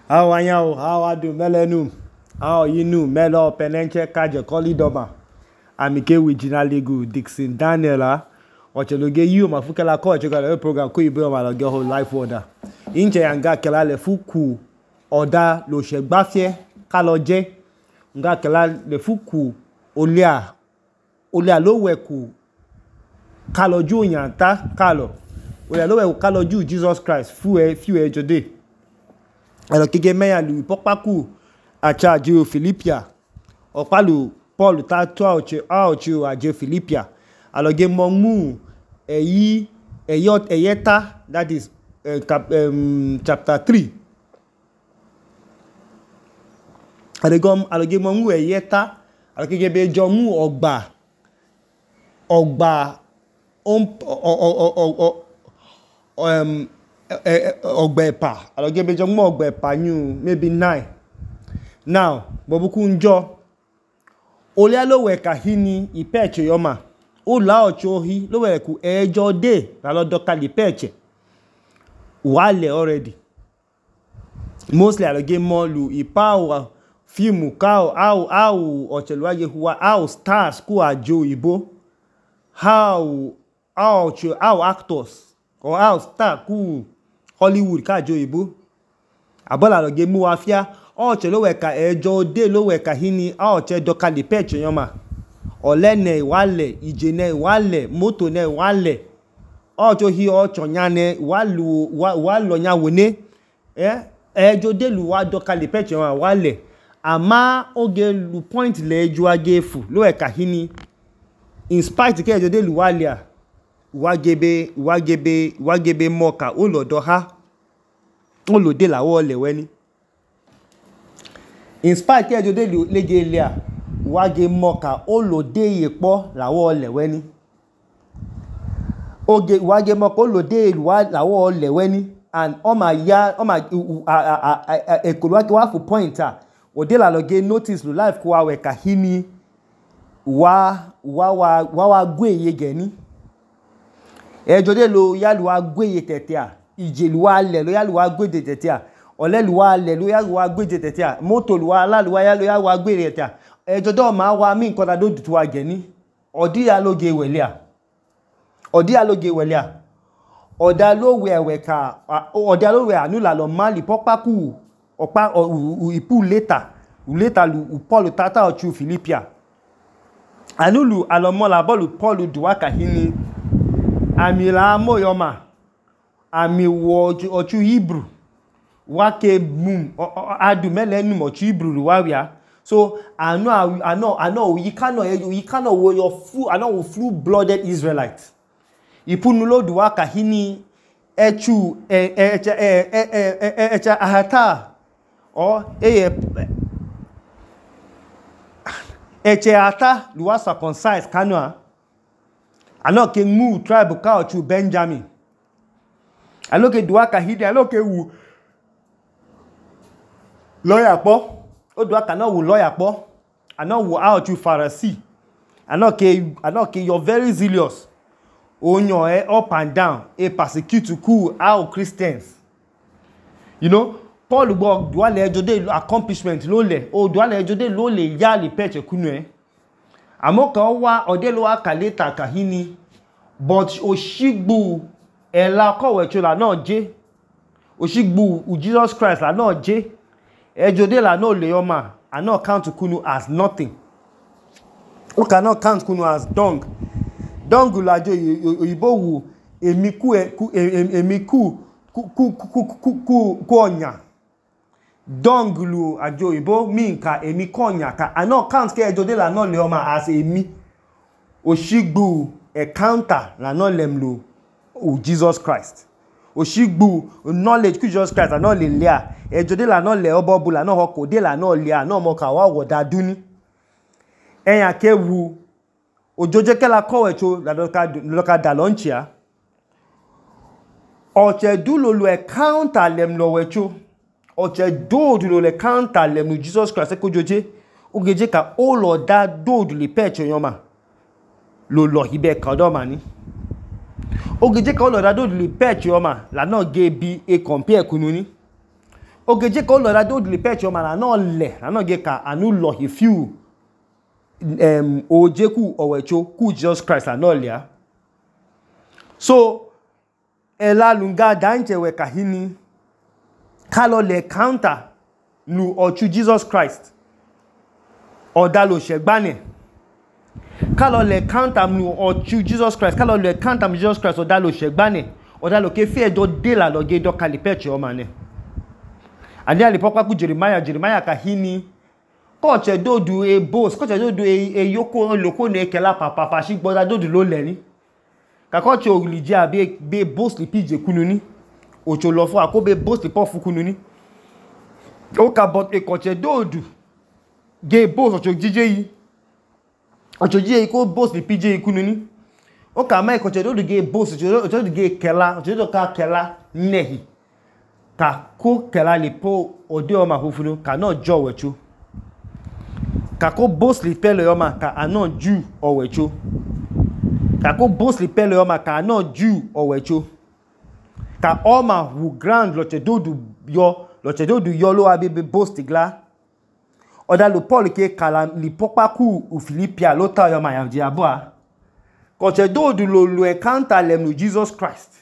Awanyao, awadu melenu, awayinu melo penenche kaje kolidoma. Amike wijina legu Dixon Daniel Ocheloge yu mafukela ko echogala program ko ibe ma loge ho life order. Inche yanga kela le fuku oda lo segbafie kaloje. Nga kela le fuku olia lo weku kaloju nyanta kalo. Olia lo weku kaloju Jesus Christ few ejode. Elo kege meya lu pokpaku acha je Philippia. Opalu Paul ta to aoche aje Philippia. Aloge momu eyeta, that is chapter 3. Aloge momu eyeta, aloge be jomu ogba ogbepa. Aloge be jomu ogbepa new maybe 9. Now, bobuku njo olia lo weka hini ipeche yoma. Ula ochohi lo weku ejo de na lo doka lipeche. Wale already. Mostly aloge molu ipa filmu kao au ocheluaje huwa au stars ku ajo ibo. How actors or how star ku Hollywood ka ajo ibo. Abola aloge mu wafia oche lo weka ejo de lo weka hini oche doka lipeche yoma. Olene wale, ijene wale, moto ne wale. Ocho hi ocho nyane walo nyawone. Ejo de lu wa doka lipeche yoma wale. Ama oge lu point le ejo agefu lo weka hini. In spite ke ejo de lu wale wagebe moka olo doha. Olo de la wole weni. In spite ke ejo de lu lege lea wage moka olo de yepo la wole weni. Oge wage moka olo de la wole weni. And ekoluwake wafu pointer. Ode la loge notice lu life kwa weka hini wa gweye geni. Ejo de lo yalu wa gweye tetea. Ije lu wa le lo yalu wa gweye tetea. Ole lu wa le lo yalu wa gweye tetea. Moto lu wa la lu wa yalu wa gweye tetea. Ejo do ma wa mi nkan da do dutu wa geni. Odi ya loge welea. Oda lo we anula lo mali pokpaku ipu later lu Paul tata ochu Philippia. Anulu alomola bolu Paul duwaka hini. Ami la moyoma. Ami wo ochu Hebrew. Wake mum adu melenu ochu Hebrew luwawia. So I know you cannot wo your full blooded Israelite. Ipunulo duwaka hini echu echa ahata or eche ata luwa circumcised kanwa. Ano ke mu tribe ka ochu Benjamin. Ano ke duwaka hini ano ke wu lawyer po. O duwaka no wu lawyer po. Ano wu ochu Pharisee. Ano ke you're very zealous. Onyo up and down persecute ku our Christians. You know, Paul go duale ejode accomplishment lo le o duale ejode lo le ya li peche kunu amoka wa ode lo aka later kahini but oshigbu ela kowe chola na je oshigbu Jesus Christ la na je ejode la no le yoma and not count kunu as nothing. We cannot count kunu as dung. Dongu lajo oyibo wu emiku onya. Dongu lu ajo oyibo mean ka emiku onya ka I no count ke ejo de la no le oma as emi. Oshigbu encounter la no lem lu Jesus Christ. Oshigbu knowledge ku Jesus Christ la no le lea. Ejo de la no le obobu la no hoko de la no lea no mo ka wa woda duni. Eyan ke wu ojoje kela kowecho la loka dalonchia. Oche dulo lu encounter lem lo wecho. Oche dulo le encounter lem lu Jesus Christ ko joje. Ogeje ka olo da dodu le peche yoma. Lo hibe kadoma ni. Ogeje ka olo da dodu le peche yoma la no ge bi e compare kununi. ogeje ka olo da do le peche oma la no le la no ge ka anu lo he few oje ku owecho ku Jesus Christ la no le a. So ela lunga danche we kahini kalo le counter lu ochu Jesus Christ oda lo shegbane kalo le counter lu ochu Jesus Christ kalo le counter Jesus Christ oda lo shegbane oda lo ke fe do de la lo ge do kalipeche o mane ani ali pokwa ku Jeremiah kahini ko che do du e boss ko che do du e yoko loko ne kela papa shi gboda do du lo le ni ka ko che olije abi be boss li pije kunu ni ocho lo fo akobe boss li pofu kunu ni o ka bot e ko che do du ge boss ocho jije yi ko boss li pije kunu ni o ka ma e ko che do du ge boss ocho do ge kela ocho do ka kela nehi ka ko kela li po ode o ma fufunu ka no jo wechu ka ko boss li pele o ma ka anon ju o wechu ka ko boss li pele o ma ka anon ju o wechu ka o ma wu grand lo che do du yo lo abi be boss ti gla oda lo Paul ke kala li popa ku u Philipia lo ta yo ma ya ji aboa ko che do du lo encounter lem lu Jesus Christ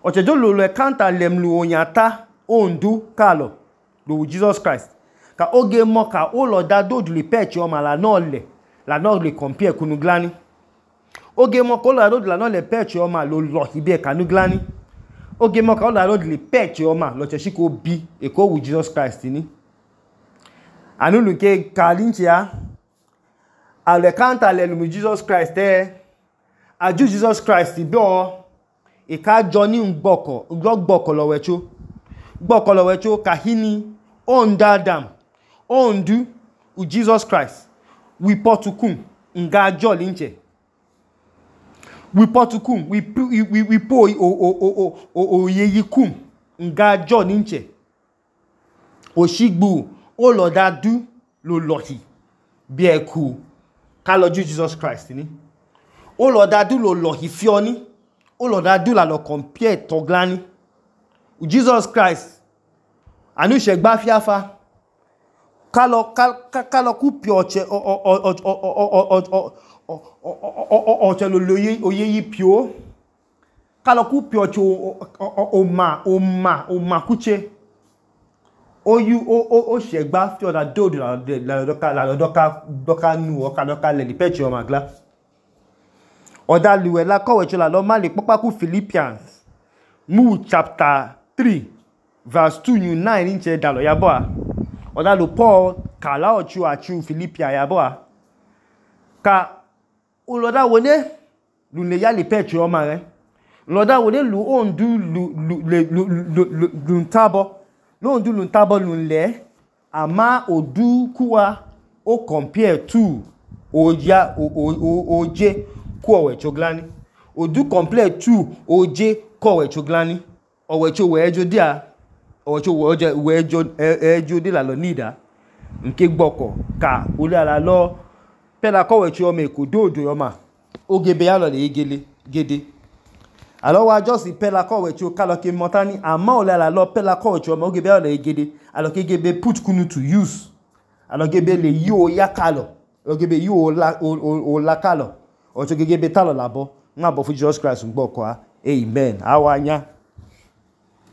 o che do lo encounter lem lu onyata ondu kalo lo Jesus Christ ka oge mo ka o lo da do du le peche o ma la no le compare kunu glani oge mo ko lo do du la no le peche o ma lo hibe kanu glani oge mo ka o lo do le peche o ma lo che shiko bi e ko wu Jesus Christ ni anu lu ke kalinchia ale counter le lu Jesus Christ aju Jesus Christ bi o e ka jo ni gboko lo wecho kahini ondadam ondu u Jesus Christ we potukum nga jo linche we potukum we po o yeyikum nga jo linche oshigbu o lo da du lo lohi bi eku ka lo ju Jesus Christ ni o lo da du lo lohi fioni o lo da du la lo compare to glani Jesus Christ anu shegba fiafa kalo ku pioche o loye oyeyi pio kalo ku pioche o ma kuche o shegba fi oda do la doka nu o ka doka le li peche o magla oda luwe la kowe chola lo ma le popa ku Philippians mu chapter 3 verse 2 new 9 inche dalo yaboa oda lo Paul kala ochu achu Philippia yaboa ka uloda wone lu le ya le peche o ma re uloda wone lu ondu lu ntabo lu ondu lu ntabo lu le ama odu kuwa o compare to oje kuowe choglani odu compare to oje kowe choglani owecho wejo dia owecho wejo de la lo nida nke gboko ka uli ala lo pela kowecho me ko dodo yo ma ogebe ya lo le gede alo wa just pela kowecho kalo ke motani ama uli ala lo pela kowecho me ogebe ya lo le gede alo ke gebe put kunu to use alo gebe le yo ya kalo alo gebe yo o la kalo ocho gebe talo labo ngabo fu Jesus Christ ngboko amen awanya